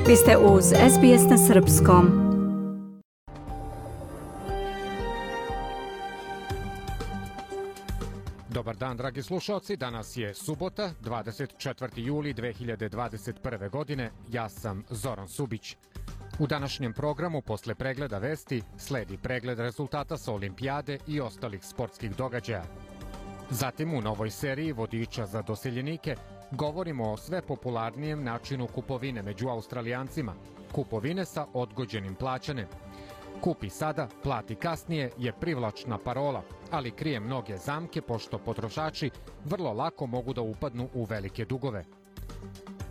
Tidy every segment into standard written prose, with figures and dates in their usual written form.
Vi ste uz SBS na Srpskom. Dobar dan, dragi slušalci. Danas je subota, 24. juli 2021. godine. Ja sam Zoran Subić. U današnjem programu, posle pregleda vesti, sledi pregled rezultata sa olimpijade i ostalih sportskih događaja. Zatim u novoj seriji vodiča za doseljenike govorimo o sve popularnijem načinu kupovine među Australijancima. Kupovine sa odgođenim plaćanjem. Kupi sada, plati kasnije je privlačna parola, ali krije mnoge zamke pošto potrošači vrlo lako mogu da upadnu u velike dugove.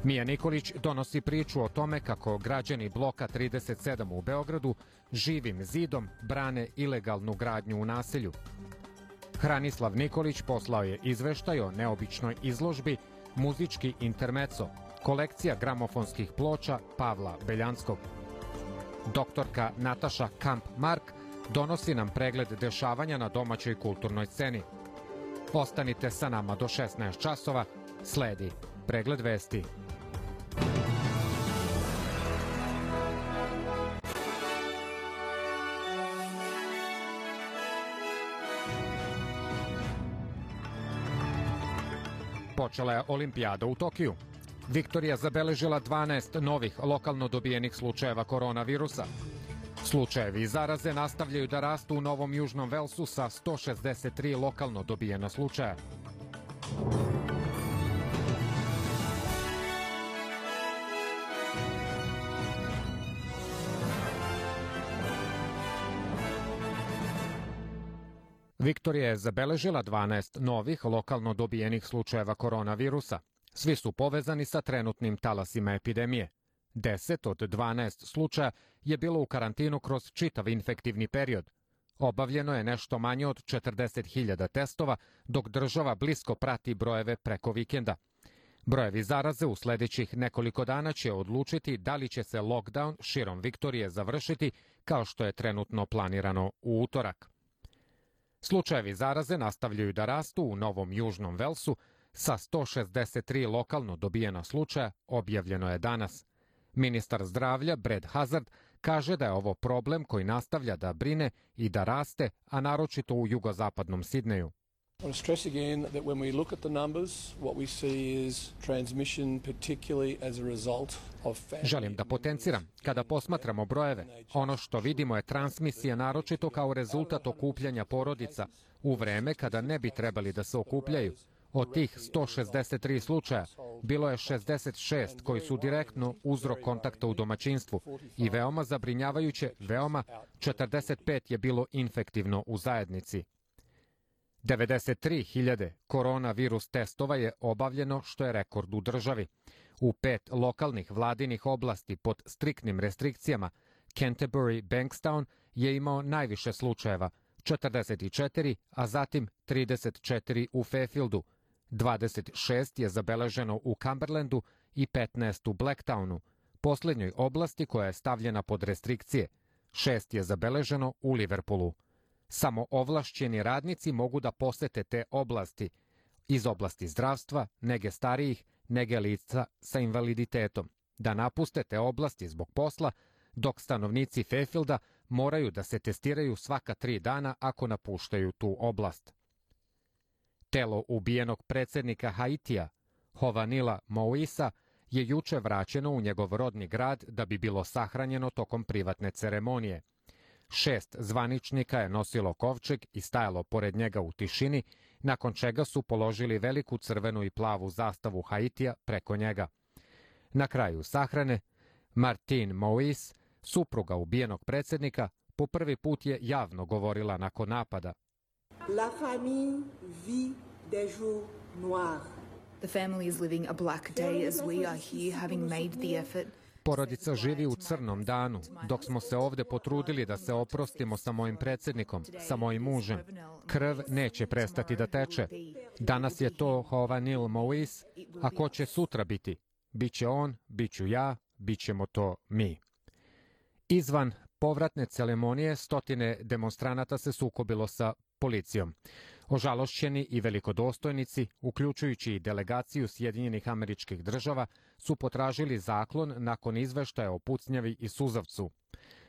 Mija Nikolić donosi priču o tome kako građani bloka 37 u Beogradu živim zidom brane ilegalnu gradnju u naselju. Hranislav Nikolić poslao je izveštaj o neobičnoj izložbi Muzički intermeco, kolekcija gramofonskih ploča Pavla Beljanskog. Doktorka Nataša Kamp-Mark donosi nam pregled dešavanja na domaćoj kulturnoj sceni. Ostanite sa nama do 16 časova, sledi pregled vesti. Počela je olimpijada u Tokiju. Viktorija zabeležila 12 novih lokalno dobijenih slučajeva koronavirusa. Slučajevi zaraze nastavljaju da rastu u Novom Južnom Velsu sa 163 lokalno dobijena slučaja. Viktorija je zabeležila 12 novih lokalno dobijenih slučajeva koronavirusa. Svi su povezani sa trenutnim talasima epidemije. 10 od 12 slučaja je bilo u karantinu kroz čitav infektivni period. Obavljeno je nešto manje od 40.000 testova, dok država blisko prati brojeve preko vikenda. Brojevi zaraze u sledećih nekoliko dana će odlučiti da li će se lockdown širom Viktorije završiti kao što je trenutno planirano u utorak. Slučajevi zaraze nastavljaju da rastu u Novom Južnom Velsu, sa 163 lokalno dobijena slučaja objavljeno je danas. Ministar zdravlja Brad Hazard kaže da je ovo problem koji nastavlja da brine i da raste, a naročito u jugozapadnom Sidneju. Želim da potenciram, kada posmatramo brojeve, ono što vidimo je transmisija naročito kao rezultat okupljanja porodica u vreme kada ne bi trebali da se okupljaju. Od tih 163 slučaja bilo je 66 koji su direktno uzrok kontakta u domaćinstvu i veoma zabrinjavajuće, 45 je bilo infektivno u zajednici. 93.000 koronavirus testova je obavljeno, što je rekord u državi. U 5 lokalnih vladinih oblasti pod striktnim restrikcijama Canterbury Bankstown je imao najviše slučajeva, 44, a zatim 34 u Fairfieldu. 26 je zabeleženo u Cumberlandu i 15 u Blacktownu, poslednjoj oblasti koja je stavljena pod restrikcije. 6 je zabeleženo u Liverpoolu. Samo ovlašćeni radnici mogu da posete te oblasti iz oblasti zdravstva, nege starijih, nege lica sa invaliditetom, da napuste te oblasti zbog posla, dok stanovnici Fairfielda moraju da se testiraju svaka 3 dana ako napuštaju tu oblast. Telo ubijenog predsjednika Haitija, Jovenila Moïsa, je juče vraćeno u njegov rodni grad da bi bilo sahranjeno tokom privatne ceremonije. 6 zvaničnika je nosilo kovčeg i stajalo pored njega u tišini, nakon čega su položili veliku crvenu i plavu zastavu Haitija preko njega. Na kraju sahrane, Martine Moïse, supruga ubijenog predsjednika, po prvi put je javno govorila nakon napada. La famille vit des jours noirs. The family is living a black day as we are here having made the effort. Porodica živi u crnom danu, dok smo se ovde potrudili da se oprostimo sa mojim predsjednikom, sa mojim mužem. Krv neće prestati da teče. Danas je to Jovenil Moïse, a ko će sutra biti? Biće on, biću ja, bićemo to mi. Izvan povratne ceremonije stotine demonstranata se sukobilo sa policijom. Ožalošćeni i velikodostojnici, uključujući i delegaciju Sjedinjenih Američkih Država, su potražili zaklon nakon izveštaja o pucnjavi i suzavcu.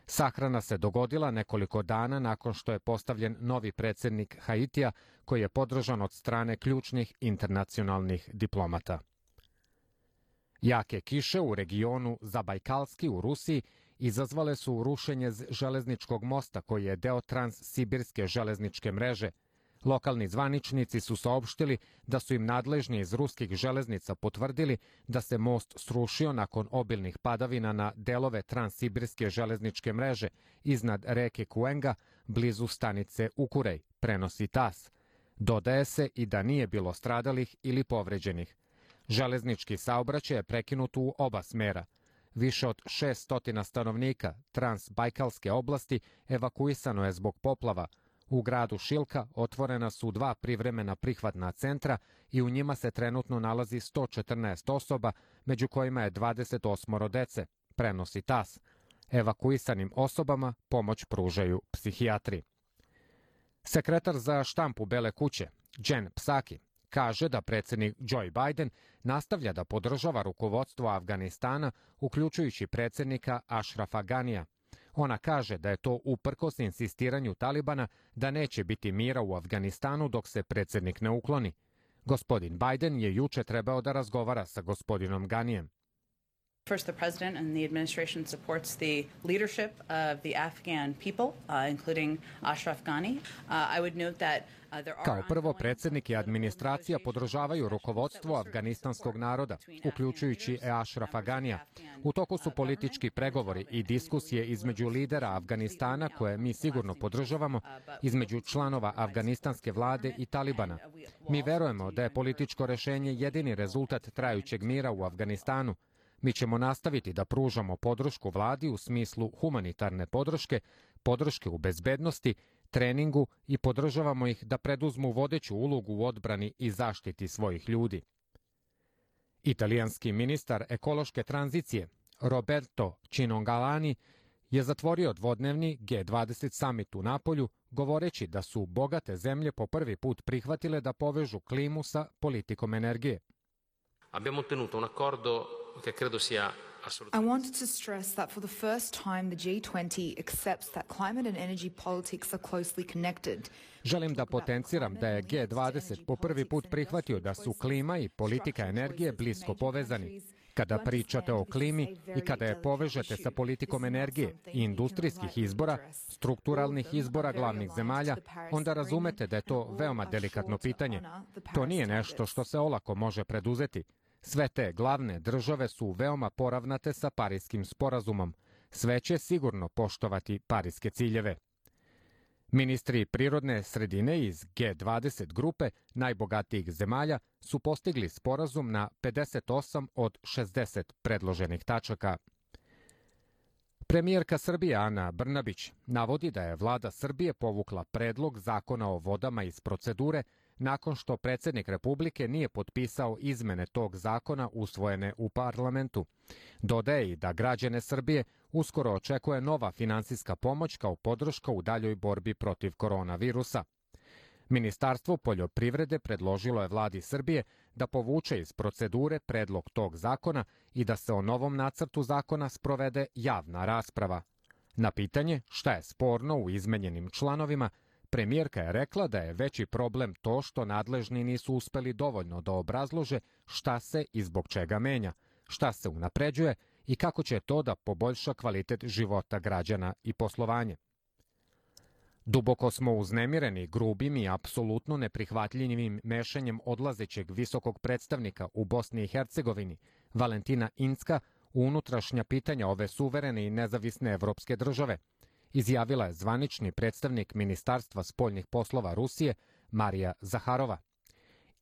Sahrana se dogodila nekoliko dana nakon što je postavljen novi predsjednik Haitija, koji je podržan od strane ključnih internacionalnih diplomata. Jake kiše u regionu Zabajkalski u Rusiji izazvale su rušenje železničkog mosta koji je deo transsibirske železničke mreže. Lokalni zvaničnici su saopštili da su im nadležni iz ruskih železnica potvrdili da se most srušio nakon obilnih padavina na delove transsibirske železničke mreže iznad reke Kuenga, blizu stanice Ukurej, prenosi TAS. Dodaje se i da nije bilo stradalih ili povređenih. Železnički saobraćaj je prekinut u oba smera. Više od 600 stanovnika Transbajkalske oblasti evakuisano je zbog poplava. U gradu Šilka otvorena su 2 privremena prihvatna centra i u njima se trenutno nalazi 114 osoba, među kojima je 28 dece, prenosi TAS. Evakuisanim osobama pomoć pružaju psihijatri. Sekretar za štampu Bele kuće, Jen Psaki, kaže da predsjednik Joe Biden nastavlja da podržava rukovodstvo Afganistana, uključujući predsjednika Ashrafa Ganija. Ona kaže da je to uprkos insistiranju Talibana da neće biti mira u Afganistanu dok se predsjednik ne ukloni. Gospodin Biden je juče trebao da razgovara sa gospodinom Ganijem. First, the president and the administration supports the leadership of the Afghan people, including Ashraf Ghani. I would note that Kao prvo, predsjednik i administracija podržavaju rukovodstvo afganistanskog naroda, uključujući Ashrafa Ghanija. U toku su politički pregovori i diskusije između lidera Afganistana, koje mi sigurno podržavamo, između članova afganistanske vlade i Talibana. Mi verujemo da je političko rešenje jedini rezultat trajućeg mira u Afganistanu. Mi ćemo nastaviti da pružamo podršku vladi u smislu humanitarne podrške, podrške u bezbednosti, treningu i podržavamo ih da preduzmu vodeću ulogu u odbrani i zaštiti svojih ljudi. Italijanski ministar ekološke tranzicije Roberto Cinongalani je zatvorio dvodnevni G20 summit u Napolju, govoreći da su bogate zemlje po prvi put prihvatile da povežu klimu sa politikom energije. Abbiamo ottenuto un accordo che credo sia I wanted to stress that for the first time the G20 accepts that climate and energy politics are closely connected. Želim da potenciram da je G20 po prvi put prihvatio da su klima i politika energije blisko povezani. Kada pričate o klimi i kada je povežete sa politikom energije i industrijskih izbora, strukturalnih izbora glavnih zemalja, onda razumete da je to veoma delikatno pitanje. To nije nešto što se olako može preduzeti. Sve te glavne države su veoma poravnate sa Parijskim sporazumom. Sve će sigurno poštovati parijske ciljeve. Ministri prirodne sredine iz G20 grupe najbogatijih zemalja su postigli sporazum na 58 od 60 predloženih tačaka. Premijerka Srbije Ana Brnabić navodi da je vlada Srbije povukla predlog zakona o vodama iz procedure nakon što predsjednik Republike nije potpisao izmene tog zakona usvojene u parlamentu. Dodaje i da građane Srbije uskoro očekuje nova finansijska pomoć kao podrška u daljoj borbi protiv koronavirusa. Ministarstvo poljoprivrede predložilo je vladi Srbije da povuče iz procedure predlog tog zakona i da se o novom nacrtu zakona sprovede javna rasprava. Na pitanje šta je sporno u izmenjenim članovima, premijerka je rekla da je veći problem to što nadležni nisu uspeli dovoljno da obrazlože šta se i zbog čega menja, šta se unapređuje i kako će to da poboljša kvalitet života građana i poslovanje. Duboko smo uznemireni grubim i apsolutno neprihvatljivim mešanjem odlazećeg visokog predstavnika u Bosni i Hercegovini, Valentina Incka, u unutrašnja pitanja ove suverene i nezavisne evropske države, izjavila je zvanični predstavnik Ministarstva spoljnih poslova Rusije Marija Zaharova.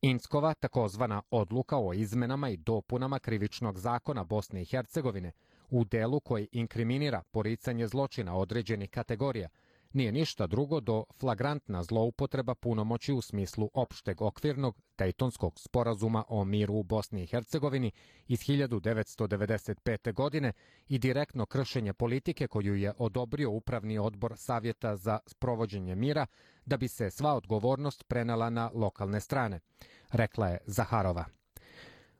Inckova takozvana odluka o izmenama i dopunama krivičnog zakona Bosne i Hercegovine u delu koji inkriminira poricanje zločina određenih kategorija nije ništa drugo do flagrantna zloupotreba punomoći u smislu opšteg okvirnog Dejtonskog sporazuma o miru u Bosni i Hercegovini iz 1995. godine i direktno kršenje politike koju je odobrio Upravni odbor Savjeta za sprovođenje mira da bi se sva odgovornost prenela na lokalne strane, rekla je Zaharova.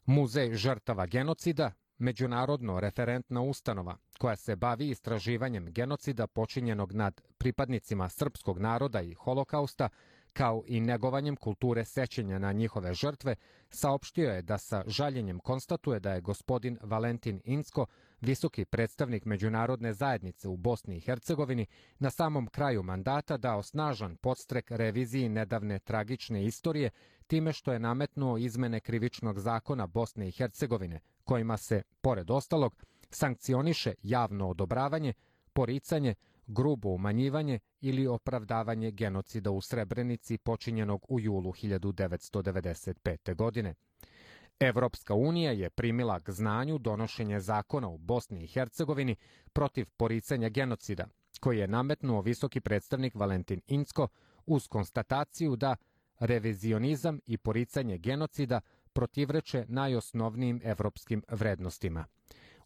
Muzej žrtava genocida, međunarodno referentna ustanova koja se bavi istraživanjem genocida počinjenog nad pripadnicima srpskog naroda i holokausta, kao i negovanjem kulture sećanja na njihove žrtve, saopštio je da sa žaljenjem konstatuje da je gospodin Valentin Incko, visoki predstavnik međunarodne zajednice u Bosni i Hercegovini, na samom kraju mandata dao snažan podstrek reviziji nedavne tragične istorije time što je nametnuo izmene krivičnog zakona Bosne i Hercegovine, kojima se, pored ostalog, sankcioniše javno odobravanje, poricanje, grubo umanjivanje ili opravdavanje genocida u Srebrenici počinjenog u julu 1995. godine. Evropska unija je primila k znanju donošenje zakona u Bosni i Hercegovini protiv poricanja genocida, koji je nametnuo visoki predstavnik Valentin Incko uz konstataciju da revizionizam i poricanje genocida protivreče najosnovnijim evropskim vrednostima.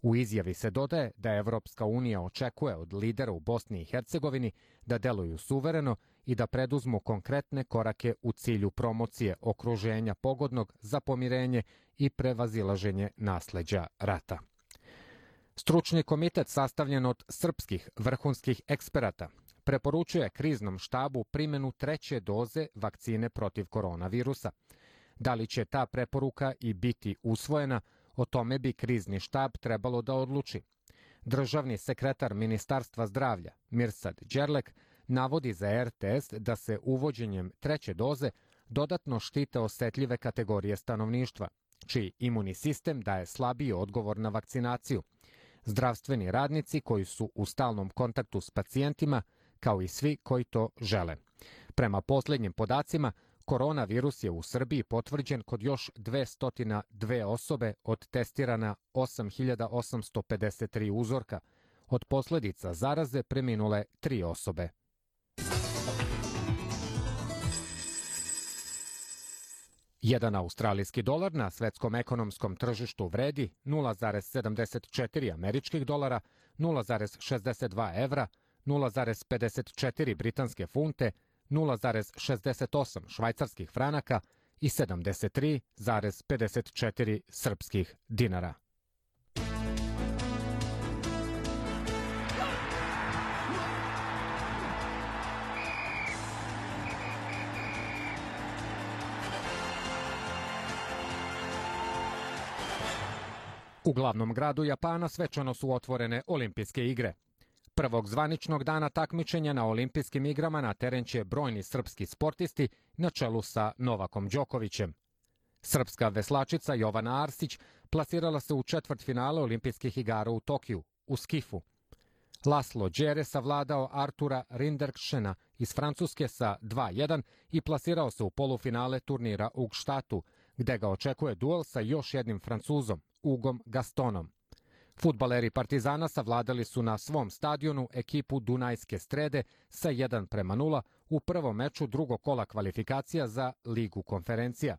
U izjavi se dodaje da Evropska unija očekuje od lidera u Bosni i Hercegovini da deluju suvereno i da preduzmu konkretne korake u cilju promocije okruženja pogodnog za pomirenje i prevazilaženje nasleđa rata. Stručni komitet sastavljen od srpskih vrhunskih eksperata preporučuje kriznom štabu primjenu 3. doze vakcine protiv koronavirusa. Da li će ta preporuka i biti usvojena, o tome bi krizni štab trebalo da odluči. Državni sekretar Ministarstva zdravlja Mirsad Đerlek navodi za RTS da se uvođenjem 3. doze dodatno štite osetljive kategorije stanovništva, čiji imunni sistem daje slabiji odgovor na vakcinaciju. Zdravstveni radnici koji su u stalnom kontaktu s pacijentima, kao i svi koji to žele. Prema posljednjim podacima, koronavirus je u Srbiji potvrđen kod još 202 osobe od testirana 8.853 uzorka. Od posljedica zaraze preminule 3 osobe. Jedan australijski dolar na svetskom ekonomskom tržištu vredi 0,74 američkih dolara, 0,62 evra, 0,54 britanske funte, 0,68 švajcarskih franaka i 73,54 srpskih dinara. U glavnom gradu Japana svečano su otvorene olimpijske igre. Prvog zvaničnog dana takmičenja na olimpijskim igrama na teren će brojni srpski sportisti na čelu sa Novakom Đokovićem. Srpska veslačica Jovana Arsić plasirala se u četvrtfinale olimpijskih igara u Tokiju, u skifu. Laslo Đere savladao Artura Rinderkšena iz Francuske sa 2:1 i plasirao se u polufinale turnira u Gštatu, gde ga očekuje duel sa još jednim Francuzom, Ugom Gastonom. Fudbaleri Partizana savladali su na svom stadionu ekipu Dunajske Strede sa 1:0 u prvom meču drugog kola kvalifikacija za Ligu konferencija.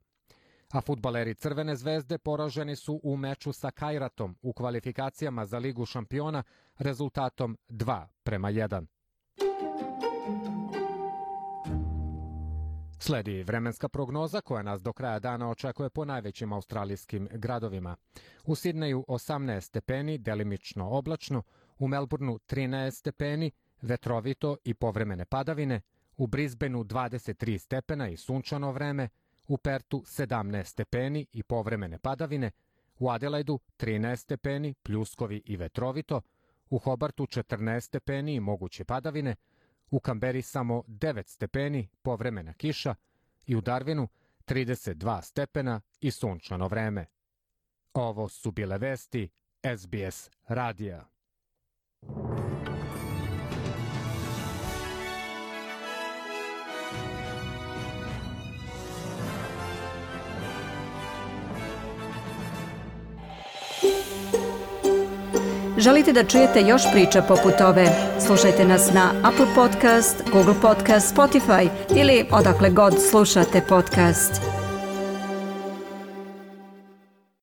A fudbaleri Crvene zvezde poraženi su u meču sa Kajratom u kvalifikacijama za Ligu šampiona rezultatom 2:1. Sledi vremenska prognoza koja nas do kraja dana očekuje po najvećim australijskim gradovima. U Sidneju 18 stepeni, delimično oblačno, u Melbourneu 13 stepeni, vetrovito i povremene padavine, u Brisbaneu 23 stepena i sunčano vreme, u Pertu 17 stepeni i povremene padavine, u Adelaidu 13 stepeni, pljuskovi i vetrovito, u Hobartu 14 stepeni i moguće padavine, u Kamberi samo 9 stepeni, povremena kiša i u Darwinu 32 stepena i sunčano vreme. Ovo su bile vesti SBS radija. Želite da čujete još priča poput ove? Slušajte nas na Apple Podcast, Google Podcast, Spotify ili odakle god slušate podcast.